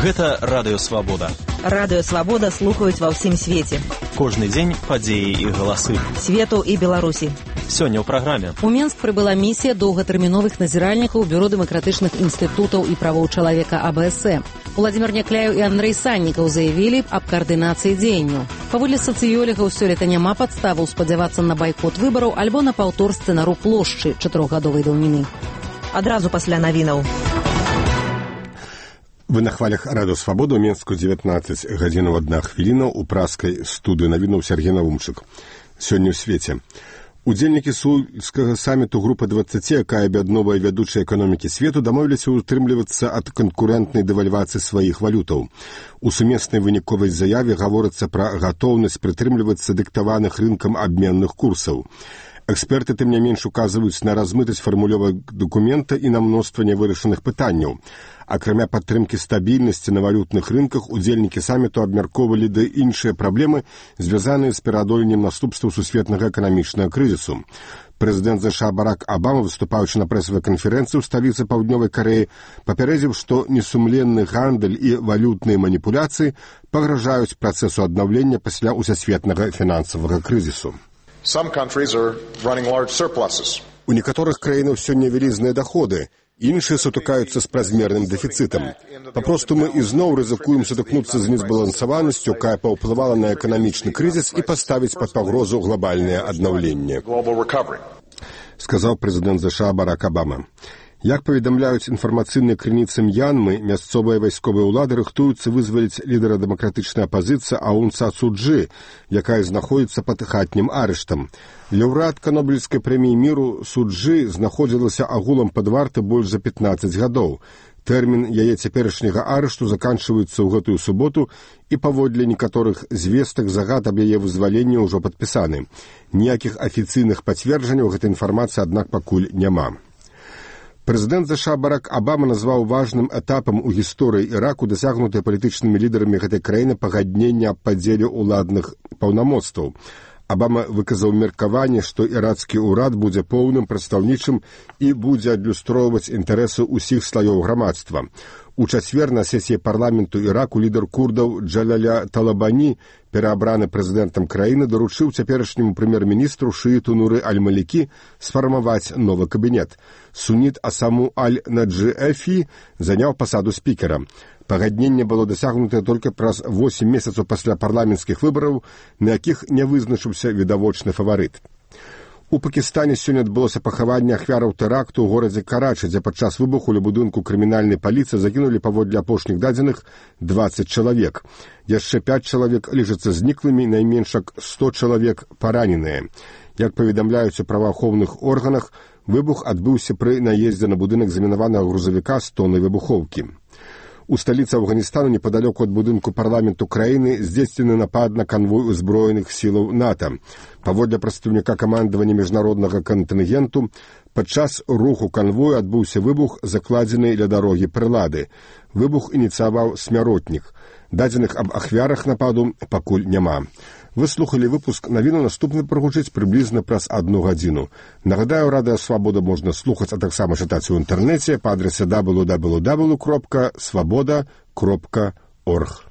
Гэта Радыё Свабода. Радыё Свабода слухаюць ва ўсім свеце. Кожны дзень падзеі і галасы. Свету і Беларусі. Сёння ў праграме. У Менск прыбыла місія доўгатэрміновых назіральнікаў Бюро дэмакратычных інстытутаў і правоў чалавека АБС. Владзімир Някляеў і Андрэй Саннікаў заявілі аб каардынацыі дзеянняў. Паводле сацыёлігаў, сёлета няма падставаў спадзявацца на байкот выбараў альбо на паўтор сцэнару плошчы 4-гадовай даўніны. Адразу пасля навінаў. Вы на хвалях Радыё Свабода, у Менску 19 гадзінаў 1 хвіліна, у праскай студыі навінаў Сергей Навумчык. Сёння ў свеце. Удзельнікі сеульскага саміту групы 20, якая аб'ядноўвае вядучыя эканомікі свету, дамовіліся ўтрымлівацца ад канкурэнтнай дэвальвацыі сваіх валютаў. У сумеснай выніковай заяве гаворыцца пра гатоўнасць прытрымлівацца дыктаваных рынкам абменных курсаў. Эксперты, тым не менш, указваюць на размытасць фармулёвак дакумента і на мноства нявырашаных пытанняў. Акрамя падтрымкі стабільнасці на валютных рынках, удзельнікі саміту абмяркоўвалі да іншыя праблемы, звязаныя з пераадоленнем наступстваў сусветнага эканамічнага крызісу. Прэзідэнт США Барак Абама, выступаючы на прэсавай канферэнцыі ў сталіцы Паўднёвай Карэі, папярэдзіў, што несумленны гандаль і валютныя маніпуляцыі пагражаюць працэсу аднаўлення пасля ўсесветнага фінансавага крызісу. У некаторых краінах сёння вялізныя даходы, іншыя сутыкаюцца з празмерным дэфіцытам. Папросту мы ізноў рызыкуем сутыкнуцца з незбалансаванасцю, якая паўплывала на эканамічны крызіс і паставіць пад пагрозу глобальнае аднаўленне, сказаў прэзідэнт США Барак Абама. Як паведамляюць інфармацыйныя крыніцы М'янмы, мясцовыя вайсковыя ўлады рыхтуюцца вызваліць лідара дэмакратычнай апазіцыі Аун Сан Су Чжы, якая знаходзіцца пад хатнім арыштам. Лаўрэатка Нобелеўскай прэміі міру Су Чжы знаходзілася агулам пад вартай больш за 15 гадоў. Тэрмін яе цяперашняга арышту заканчваецца ў гэтую суботу, і паводле некаторых звестак загад аб яе вызваленні ўжо падпісаны. Ніякіх афіцыйных пацверджанняў гэтай інфармацыі, аднак, пакуль няма. Прэзідэнт США Барак Абама назваў важным этапам у гісторыі Іраку дасягнутыя палітычнымі лідарамі гэтай краіны пагаднення аб падзеле ўладных паўнамоцтваў. Абама выказаў меркаванне, што ірацкі ўрад будзе поўным прадстаўнічым і будзе адлюстроўваць інтарэсы ўсіх слаёў грамадства. У чацвер на сесіі парламенту Іраку лідар курдаў Джалаля Талабані, пераабраны прэзідэнтам краіны, даручыў цяперашняму прэм'ер-міністру шыіту Нуры Аль-Малікі сфармаваць новы кабінет. Суніт Асаму Аль-Наджи-Эфі заняў пасаду спікера. Пагадненне было дасягнутае толькі праз 8 месяцаў пасля парламенцкіх выбараў, на якіх не вызначыўся відавочны фаварыт. У Пакістане сёння адбылося пахаванне ахвяраў тэракту ў горадзе Карачы, дзе падчас выбуху ля будынку крымінальнай паліцыі загінулі паводле апошніх дадзеных 20 чалавек. Яшчэ 5 чалавек лічацца зніклымі, найменш 100 чалавек параненыя. Як паведамляюць у праваахоўных органах, выбух адбыўся пры наездзе на будынак замінаванага грузавіка з тоннай выбухоўкі. У сталіцы Афганістану, непадалёку ад будынку парламенту краіны, здзейснены напад на канвой узброеных сілаў НАТО. Паводле прадстаўніка камандавання міжнароднага кантынгенту, падчас руху канвою адбыўся выбух, закладзены ля дарогі прылады. Выбух ініцыяваў смяротнік. Дадзеных аб ахвярах нападу пакуль няма. Вы слухалі выпуск навіну, наступны прагучыць прыблізна праз 1 гадзіну. Нагадаю, Радыё Свабода можна слухаць, а таксама чытаць у інтэрнэце па адрасе www.swaboda.org.